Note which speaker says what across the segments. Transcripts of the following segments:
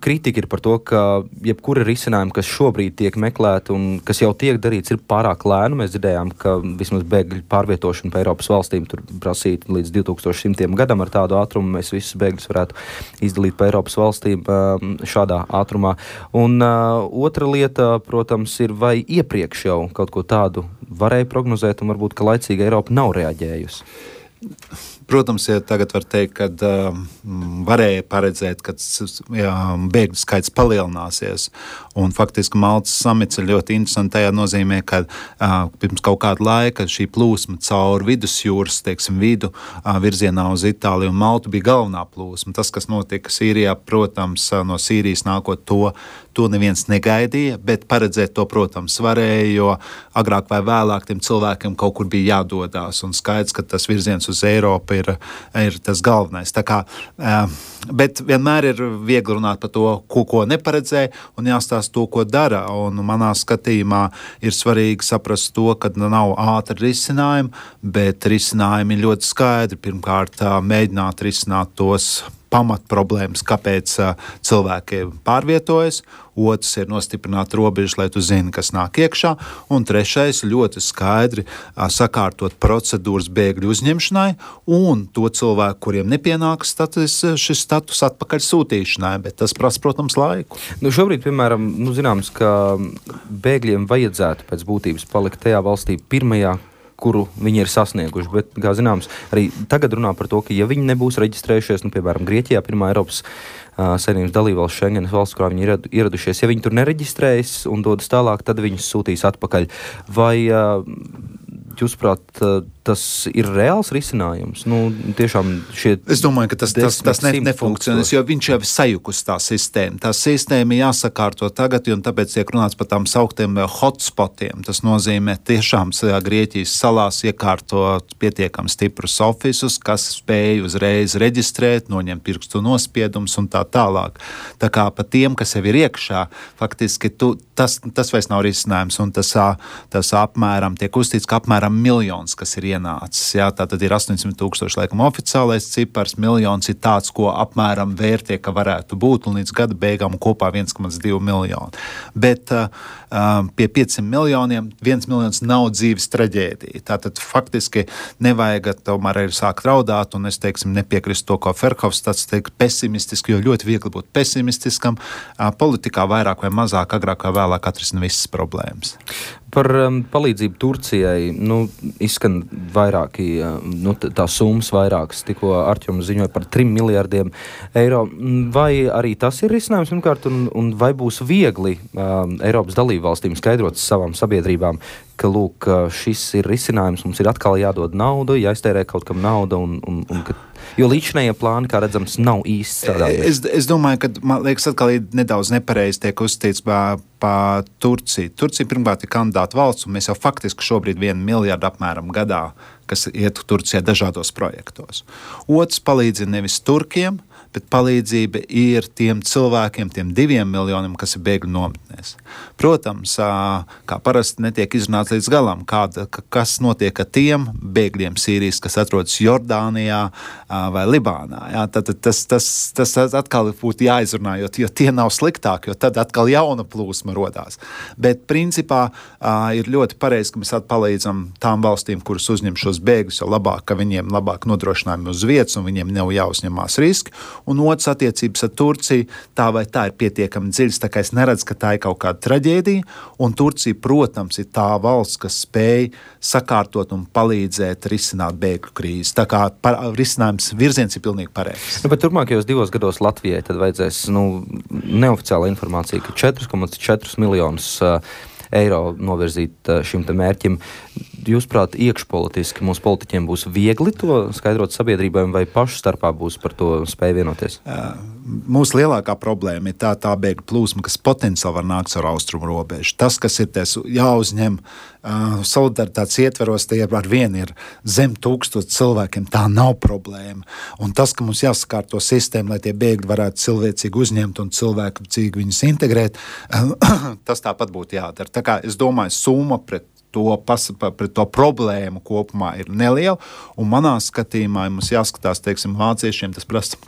Speaker 1: kritika ir par to, ka jebkura risinājuma, kas šobrīd tiek meklēta un kas jau tiek darīts, ir pārāk lēnu. Mēs dzirdējām, ka vismaz bēgļu pārvietošana pa Eiropas valstīm tur prasīt līdz 2100. gadam ar tādu ātrumu. Mēs visus bēgļus varētu izdalīt pa Eiropas valstīm šādā ātrumā. Un otra lieta, protams, ir vai iepriekš jau kaut ko tādu varēja prognozēt un varbūt, ka laicīgi Eiropa nav reaģējusi.
Speaker 2: Protams, ja tagad var teikt, ka varēja paredzēt, ka bēgļu skaits palielināsies. Un faktiski Maltas samits ir ļoti interesanti tajā nozīmē, ka pirms kaut kāda laika šī plūsma cauri vidusjūras, vidu virzienā uz Itāliju un Maltu bija galvenā plūsma. Tas, kas notika Sīrijā, protams, no Sīrijas nākot to neviens negaidīja, bet paredzēt to, protams, varēja, jo agrāk vai vēlāk tiem cilvēkiem kaut kur bija jādodās. Un skaidrs, ka tas virziens uz Eiropu ir tas galvenais. Tā kā, bet vienmēr ir viegli runāt par to, ko neparedzēja, un jāstāsta to, ko dara. Un manā skatījumā ir svarīgi saprast to, ka nav ātri risinājumi, bet risinājumi ir ļoti skaidri. Pirmkārt, mēģināt risināt tos pamatproblēmas, kāpēc cilvēki pārvietojas. Otrs ir nostiprināt robežas, lai tu zini, kas nāk iekšā. Un trešais ļoti skaidri sakārtot procedūras bēgļu uzņemšanai un to cilvēku, kuriem nepienāks šis status atpakaļ sūtīšanai, bet tas prasa, protams, laiku.
Speaker 1: Šobrīd, piemēram, zināms, ka bēgļiem vajadzētu pēc būtības palikt tajā valstī pirmajā, kuru viņi ir sasnieguši, bet, kā zināms, arī tagad runā par to, ka ja viņi nebūs reģistrējušies, piemēram, Grieķijā, pirmā Eiropas Savienības dalībvalsts Schengenas valsts, kurā viņi ir ieradušies, ja viņi tur nereģistrējas un dodas tālāk, tad viņus sūtīs atpakaļ. Vai jūsuprāt, tas ir reāls risinājums? Tiešām
Speaker 2: es domāju, ka tas nefunkcionēs, jo viņš jau ir sajukus tā sistēma. Tā sistēma jāsakārto tagad, un tāpēc tiek runāts par tām sauktiem hotspotiem. Tas nozīmē tiešām Grieķijas salās iekārtot pietiekami stiprus ofisus, kas spēj uzreiz reģistrēt, noņemt pirkstu nospiedumus un tā tālāk. Tā kā pa tiem, kas jau ir iekšā, faktiski tas vairs nav risinājums, un tas apmēram tiek uzstīts, ka apmēram 1 miljons, kas ir ienācis. Jā, tātad ir 800,000 laikam oficiālais cipars, 1 miljons ir tāds, ko apmēram vērtie, ka varētu būt, un līdz gada beigām kopā 1,2 miljoni. Bet pie 500 miljoniem 1 miljons nav dzīves traģēdija. Tātad faktiski nevajag tomēr arī sākt raudāt, un es nepiekrist to, ko Ferhofstads teikt pesimistiski, jo ļoti viegli būt pesimistiskam. Politikā vairāk vai mazāk, agrāk vai vēlāk atrisina visas problēmas.
Speaker 1: Par palīdzību Turcijai, izskan vairāki, tā summas vairākas, tikko Arķoms ziņoja par 3 miljardiem eiro. Vai arī tas ir risinājums, pirmkārt, un vai būs viegli Eiropas dalībvalstīm skaidrot savām sabiedrībām, ka, lūk, šis ir risinājums, mums ir atkal jādod nauda, jāiztērē kaut kam nauda, jo līdzinējie plāni, kā redzams, nav īsti strādājuši.
Speaker 2: Es domāju, ka, man liekas, atkal nedaudz nepareizi tiek uzstīts pa Turciju. Turcija pirmkārt ir kandidāta valsts, un mēs jau faktiski šobrīd 1 miljardu apmēram gadā, kas iet Turcijā dažādos projektos. Otrs palīdz nevis turkiem, bet palīdzība ir tiem cilvēkiem, tiem 2 miljoniem, kas ir bēgļu nometnēs. Protams, kā parasti netiek izrunāts līdz galam, kas notiek ar tiem bēgļiem Sīrijas, kas atrodas Jordānijā vai Libānā. Jā, tad tas atkal būtu jāizrunā, jo tie nav sliktāki, jo tad atkal jauna plūsma rodās. Bet principā ir ļoti pareizi, ka mēs palīdzam tām valstīm, kuras uzņem šos bēgļus, jo labāk, ka viņiem labāk nodrošinājumi uz vietas un viņiem nav jāuzņemās riski. Un otrs attiecības ar Turciju, tā vai tā ir pietiekami dziļas, tā kā es neredzu, ka tā ir kaut kāda traģēdija, un Turcija, protams, ir tā valsts, kas spēj sakārtot un palīdzēt risināt bēgļu krīzi. Tā kā risinājums virziens ir pilnīgi pareizs.
Speaker 1: Bet turpmākajos 2 gados Latvijai tad vajadzēs, neoficiāla informācija, ka 4,4 miljonus eiro novirzīt šim te mērķim. Jūsuprāt, iekšpolitiski mūsu politiķiem būs viegli to skaidrot sabiedrībai, vai pašu starpā būs par to spēju vienoties?
Speaker 2: Mūsu lielākā problēma ir tā bēgļu plūsma, kas potenciāli var nākt ar austrumu robežu. Tas, kas ir jāuzņem solidaritātes ietveros, tie ar vienu ir zem 1000 cilvēkiem, tā nav problēma. Un tas, ka mums jāsakārto sistēma, lai tie bēgļi varētu cilvēcīgi uzņemt un cilvēcīgi viņus integrēt, tas tāpat būtu jādara. Tā kā es domāju, summa pret to problēmu kopumā ir neliela, un manā skatījumā mums jāskatās, vāciešiem tas prasa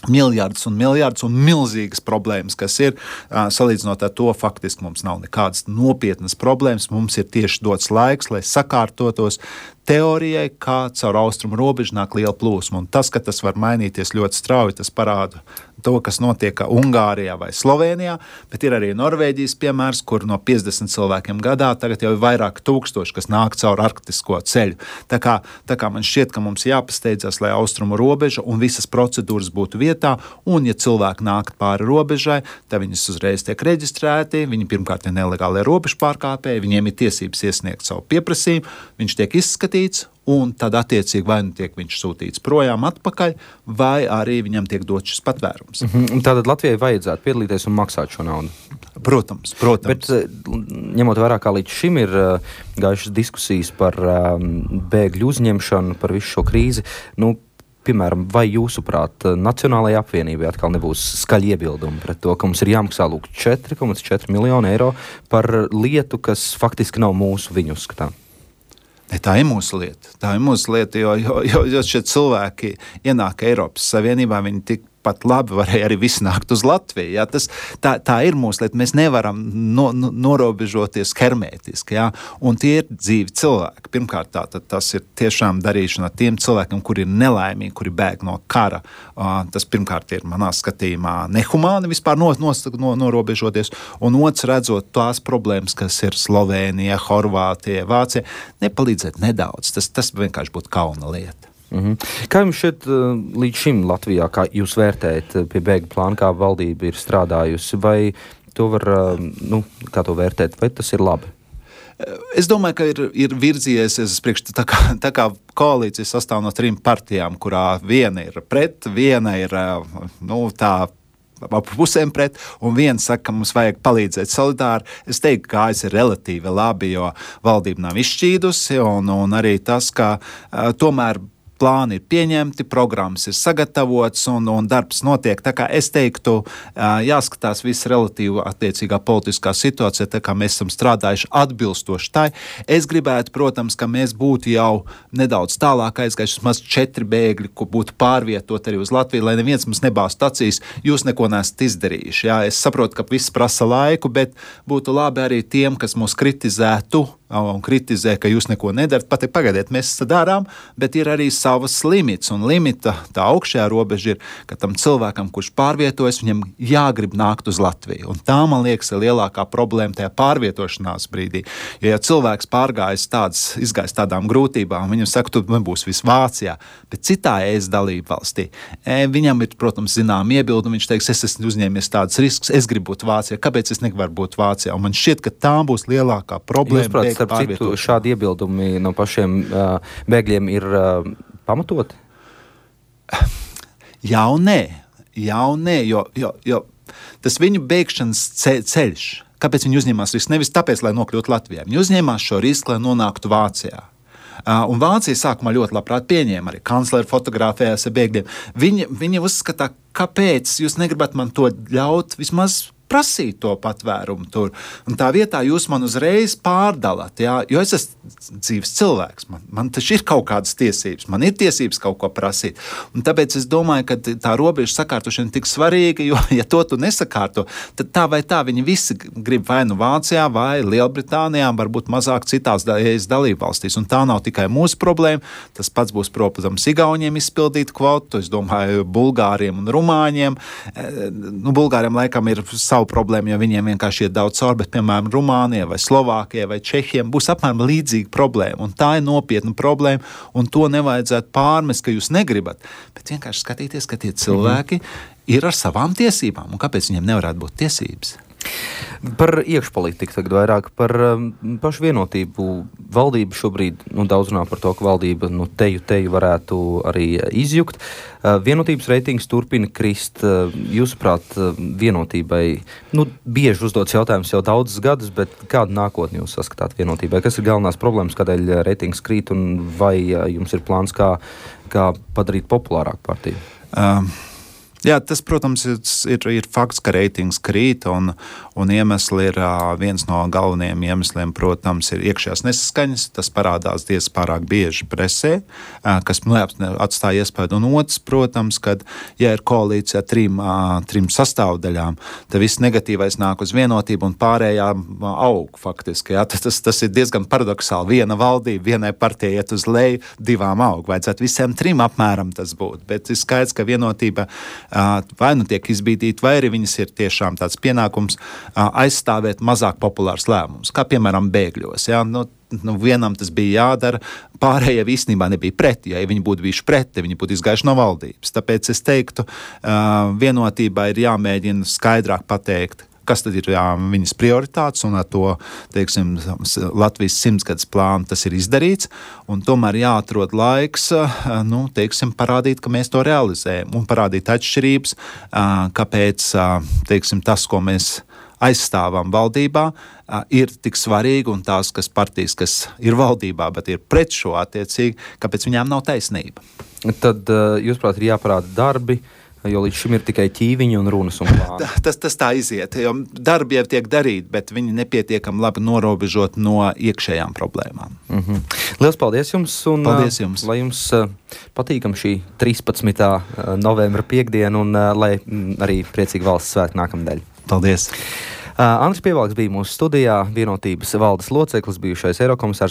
Speaker 2: miljardus un miljardus un milzīgas problēmas, kas ir salīdzinot ar to, faktiski mums nav nekādas nopietnas problēmas. Mums ir tieši dots laiks, lai sakārtotos teorijai, kā caur austrumu robežu nāk liela plūsma. Un tas, ka tas var mainīties ļoti strauji, tas parāda to, kas notiek Ungārijā vai Slovenijā, bet ir arī Norvēģijas piemērs, kur no 50 cilvēkiem gadā tagad jau ir vairāk tūkstoši, kas nāk caur arktisko ceļu. Tā kā man šķiet, ka mums jāpasteidzas, lai austrumu robeža un visas procedūras būtu vietā, un ja cilvēki nāk pāri robežai, tad viņas uzreiz tiek reģistrēti, viņi pirmkārt ir nelegālie robežu pārkāpēji, viņiem ir tiesības iesniegt savu pieprasījumu, viņš tiek izskatīts, un tad attiecīgi vai nu tiek viņš sūtīts projām atpakaļ, vai arī viņam tiek dots šis patvērums.
Speaker 1: Tātad Latvijai vajadzētu piedalīties un maksāt šo naudu?
Speaker 2: Protams.
Speaker 1: Bet ņemot vērā, kā līdz šim ir gājušas diskusijas par bēgļu uzņemšanu, par visu šo krīzi, piemēram, vai jūsuprāt, Nacionālajai apvienībai atkal nebūs skaļi iebildumi pret to, ka mums ir jāmaksā 4,4 miljonu eiro par lietu, kas faktiski nav mūsu viņu uzskatām?
Speaker 2: Tā ir mūsu lieta, jo šie cilvēki ienāk Eiropas Savienībā, viņi tikpat labi varēja arī visi nākt uz Latviju. Ja? Tā ir mūsu lieta, mēs nevaram norobežoties hermētiski, ja? Un tie ir dzīvi cilvēki. Pirmkārt, tas ir tiešām darīšana tiem cilvēkiem, kuri ir nelaimīgi, kuri bēg no kara. Tas pirmkārt ir manā skatījumā nehumāni vispār norobežoties, un otrs redzot tās problēmas, kas ir Slovēnija, Horvātija, Vācija, nepalīdzēt nedaudz. Tas vienkārši būtu kauna lieta.
Speaker 1: Kā jums šeit līdz šim Latvijā, kā jūs vērtējat pie bēgļu plāna, kā valdība ir strādājusi, vai to var, kā to vērtēt, vai tas ir labi?
Speaker 2: Es domāju, ka ir virzījies tā kā koalīcija sastāv no 3 partijām, kurā viena ir pret, viena ir tā ap pusēm pret, un viens saka, ka mums vajag palīdzēt solidāri. Es teiktu, ka AS ir relatīvi labi, jo valdība nav izšķīdusi, un arī tas, ka tomēr plāni ir pieņemti, programmas ir sagatavots un darbs notiek. Tā kā es teiktu, jāskatās viss relatīvi attiecīgā politiskā situācija, tā kā mēs esam strādājuši atbilstoši tai. Es gribētu, protams, ka mēs būtu jau nedaudz tālāk aizgājuši, maz 4 bēgļi, ko būtu pārvietot arī uz Latviju, lai neviens mums nebāzt acīs, jūs neko nesat izdarījuši. Jā, es saprotu, ka viss prasa laiku, bet būtu labi arī tiem, kas mūs kritizētu un kritizē, ka jūs neko nedarat. Pagaidiet, mēs darām, bet ir arī savas limits, un limita tā augšējā robeža ir, ka tam cilvēkam, kurš pārvietojas, viņam jāgrib nākt uz Latviju. Un tā, man liekas, ir lielākā problēma tajā pārvietošanās brīdī. Jo, ja cilvēks izgājis tādām grūtībām, viņam saka, tu nebūs viss Vācijā, bet citā ES dalība valstī, viņam ir, protams, zinām iebildumi, viņš teiks, es esmu uzņēmies tādus riskus, es gribu būt Vācijā, kāpēc es nevaru būt Vācijā? Un man šķiet, ka tā būs lielākā problēma.
Speaker 1: Starp citu, šādi iebildumi no pašiem bēgļiem ir pamatoti?
Speaker 2: Jā un nē, jo tas viņu bēgšanas ceļš, kāpēc viņi uzņēmās risku? Nevis tāpēc, lai nokļūtu Latvijā. Viņi uzņēmās šo risku, lai nonāktu Vācijā. Un Vācija sākumā ļoti labprāt pieņēma, arī kancleri fotografējās ar bēgļiem. Viņi uzskatā, kāpēc jūs negribat man to ļaut vismaz prasīt to patvērumu tur. Un tā vietā jūs man uzreiz pārdalat, jā, jo es esmu dzīves cilvēks. Man taču ir kaut kādas tiesības. Man ir tiesības kaut ko prasīt. Un tāpēc es domāju, ka tā robeža sakārtošana ir tik svarīga, jo, ja to tu nesakārto, tad tā vai tā viņi visi grib vai nu Vācijā, vai Lielbritānijā, varbūt mazāk citās dalībvalstīs. Un tā nav tikai mūsu problēma. Tas pats būs, protams, Igauniem izpildīt kvotu, es domāju, Bulgāriem un Rumāņiem. Bulgāriem laikam ir problēma, jo viņiem vienkārši ir daudz cauri, bet, piemēram, Rumānijai vai Slovākijai vai Čehiem būs apmēram līdzīga problēma, un tā ir nopietna problēma, un to nevajadzētu pārmest, ka jūs negribat, bet vienkārši skatīties, ka tie cilvēki ir ar savām tiesībām, un kāpēc viņiem nevarētu būt tiesības?
Speaker 1: Par iekšpolitiku tagad vairāk, par pašu vienotību. Valdība šobrīd daudz runā par to, ka valdība teju varētu arī izjukt. Vienotības reitings turpina krist. Jūsuprāt, vienotībai bieži uzdots jautājums jau daudzus gadus, bet kādu nākotni jūs saskatāt vienotībai? Kas ir galvenās problēmas, kādēļ reitings krīt, un vai jums ir plāns, kā padarīt populārāku partiju?
Speaker 2: Jā, tas, protams, ir fakts, ka reitings krīt, un iemesli ir viens no galvenajiem iemesliem, protams, ir iekšējās nesaskaņas. Tas parādās diezgan pārāk bieži presē, kas atstāja iespēju. Un otrs, protams, kad, ja ir koalīcija trim sastāvdaļām, tad viss negatīvais nāk uz vienotību un pārējā aug faktiski. Jā. Tas ir diezgan paradoxāli. Viena valdība, vienai partijai iet uz leju, divām aug. Vajadzētu visiem trim apmēram tas būt. Bet ir skaidrs, ka vienotība vai nu tiek izbīdīta, vai arī viņas ir tiešām tāds pienākums aizstāvēt mazāk populārs lēmums, kā piemēram bēgļos. Ja? Vienam tas bija jādara, pārējie īstenībā nebija pret. Ja viņi būtu bijuši pret, viņi būtu izgājuši no valdības. Tāpēc es teiktu, vienotībā ir jāmēģina skaidrāk pateikt, kas tad ir viņas prioritātes, un ar to, teiksim, Latvijas 100-gadus plānu tas ir izdarīts, un tomēr jāatrod laiks, teiksim, parādīt, ka mēs to realizējam, un parādīt atšķirības, kāpēc, teiksim, tas, ko mēs aizstāvam valdībā, ir tik svarīgi, un tās, kas partijas, kas ir valdībā, bet ir pret šo attiecīgi, kāpēc viņām nav taisnība.
Speaker 1: Tad, jūsuprāt, ir jāparāda darbi, jo līdz šim ir tikai ķīviņi un runas un plāni.
Speaker 2: Tas tā iziet, jo darbi jau tiek darīti, bet viņi nepietiekami labi norobežot no iekšējām problēmām.
Speaker 1: Lielas paldies jums, un
Speaker 2: paldies jums.
Speaker 1: Lai jums patīkam šī 13. novembra piekdiena, un lai arī priecīgi valsts svētki nākamnedēļ.
Speaker 2: Paldies!
Speaker 1: Andris Pievalks bija mūsu studijā, Vienotības valdes loceklis, bijušais Eirokomisārs.